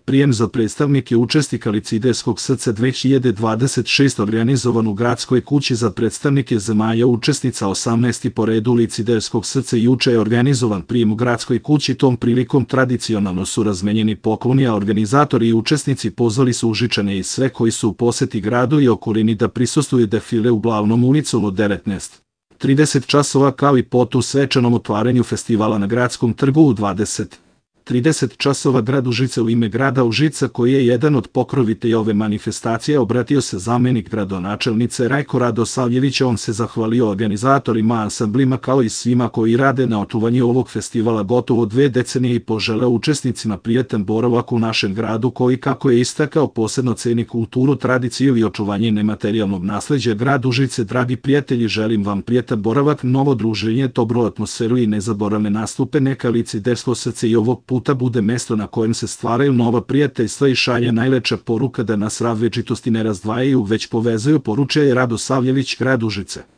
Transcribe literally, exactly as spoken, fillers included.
prijem za predstavnike učesnika Licidejskog srca dve hiljade dvadeset šeste organizovan u Gradskoj kući za predstavnike zemalja učesnica osamnaesti po redu Licidejskog srca. Juče je organizovan prijem u Gradskoj kući. Tom prilikom tradicionalno su razmenjeni pokloni, a organizatori i učesnici pozvali su Užičane i sve koji su u poseti gradu i okolini da prisustvuju defile u Glavnom ulicom od devetnaest trideset časova, kao i potom svečanom otvaranju festivala na Gradskom trgu u dvadeset trideset časova. Grad Užice u ime grada Užica, koji je jedan od pokrovitelja ove manifestacije, obratio se zamenik gradonačelnice Rajko Radosavljević. On se zahvalio organizatorima, ansamblima kao i svima koji rade na očuvanju ovog festivala gotovo dve decenije i poželeo učesnicima prijetan boravak u našem gradu koji, kako je istakao, posebno ceni kulturu, tradiciju i očuvanje nematerijalnog nasleđa. Grad Užice, dragi prijatelji, želim vam prijetan boravak, novo druženje, dobru atmosferu i nezaboravne nastupe. Neka Licidejsko srce i ovog puta bude mesto na kojem se stvaraju nova prijateljstva i šalje najlepša poruka da nas različitosti ne razdvajaju, već povezuju, poručuje Radosavljević. Grad Užice.